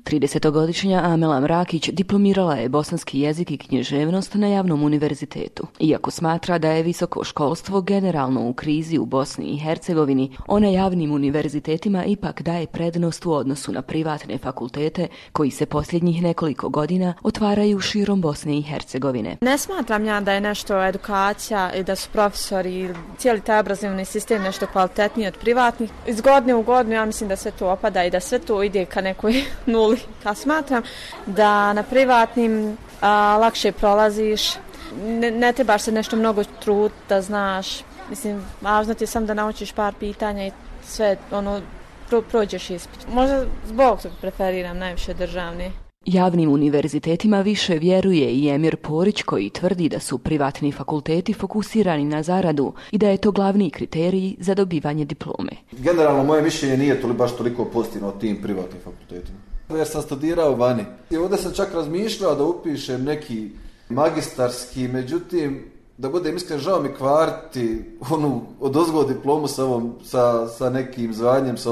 30-godišnja Amela Mrakić diplomirala je bosanski jezik i književnost na Javnom univerzitetu. Iako smatra da je visoko školstvo generalno u krizi u Bosni i Hercegovini, ona javnim univerzitetima ipak daje prednost u odnosu na privatne fakultete koji se posljednjih nekoliko godina otvaraju širom Bosne i Hercegovine. Ne smatram ja da je nešto edukacija i da su profesori i cijeli taj obrazovni sistem nešto kvalitetniji od privatnih. Iz godine u godinu ja mislim da sve to opada i da sve to ide ka nekoj nuli. Ja smatram da na privatnim lakše prolaziš, ne trebaš se nešto mnogo trud da znaš. Mislim, važno ti je samo da naučiš par pitanja i sve prođeš ispit. Možda zbog toga preferiram najviše državne. Javnim univerzitetima više vjeruje i Emir Porić koji tvrdi da su privatni fakulteti fokusirani na zaradu i da je to glavni kriterij za dobivanje diplome. Generalno moje mišljenje nije baš toliko pozitivno o tim privatnim fakultetima. Jer sam studirao vani. I ovdje sam čak razmišljao da upišem neki magistarski, međutim, da budem iskren, žao mi kvariti odozgo diplomu sa nekim zvanjem sa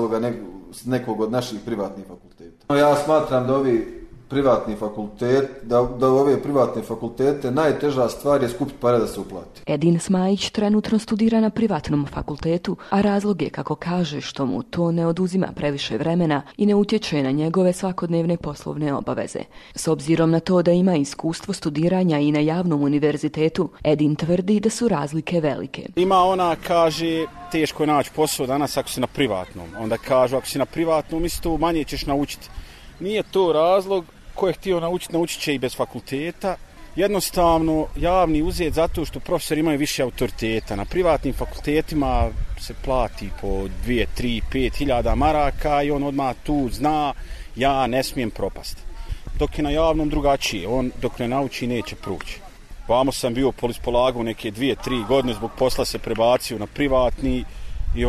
nekog od naših privatnih fakulteta. Ja smatram da ove privatne fakultete najteža stvar je skupiti pare da se uplati. Edin Smajić trenutno studira na privatnom fakultetu, a razlog je, kako kaže, što mu to ne oduzima previše vremena i ne utječe na njegove svakodnevne poslovne obaveze. S obzirom na to da ima iskustvo studiranja i na javnom univerzitetu, Edin tvrdi da su razlike velike. Ima ona kaže teško je naći posao danas ako si na privatnom. Onda kažu ako si na privatnom isto manje ćeš naučiti. Nije to razlog. Ko je htio naučit će i bez fakulteta. Jednostavno, javni uzet zato što profesori imaju više autoriteta. Na privatnim fakultetima se plati po 2, 3, 5 hiljada maraka i on odmah tu zna ja ne smijem propasti. Dok je na javnom drugačije, on dok ne nauči neće proći. Vamo sam bio polagao neke 2-3 godine, zbog posla se prebacio na privatni i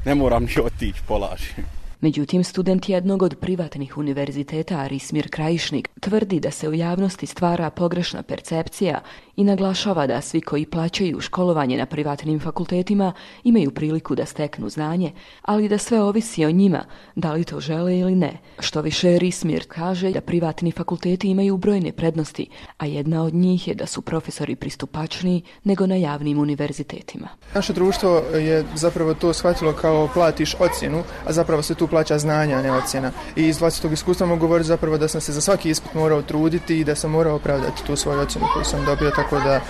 ne moram ni otići polažem. Međutim, student jednog od privatnih univerziteta, Arismir Krajišnik, tvrdi da se u javnosti stvara pogrešna percepcija i naglašava da svi koji plaćaju školovanje na privatnim fakultetima imaju priliku da steknu znanje, ali da sve ovisi o njima, da li to žele ili ne. Što više, Arismir kaže da privatni fakulteti imaju brojne prednosti, a jedna od njih je da su profesori pristupačniji nego na javnim univerzitetima. Naše društvo je zapravo to shvatilo kao platiš ocjenu, a zapravo se tu plaća znanja, a ne ocjena. I iz vlastitog iskustva mogu govoriti zapravo da sam se za svaki ispit morao truditi i da sam morao opravdati tu svoju ocjenu koju sam dobio, tako da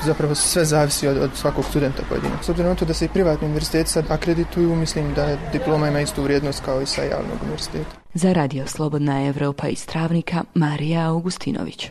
zapravo sve zavisi od svakog studenta pojedinog. S obzirom na to da se i privatni univerziteti sad akredituju, mislim da diploma ima istu vrijednost kao i sa javnog univerziteta. Za Radio Slobodna Evropa iz Travnika, Marija Augustinović.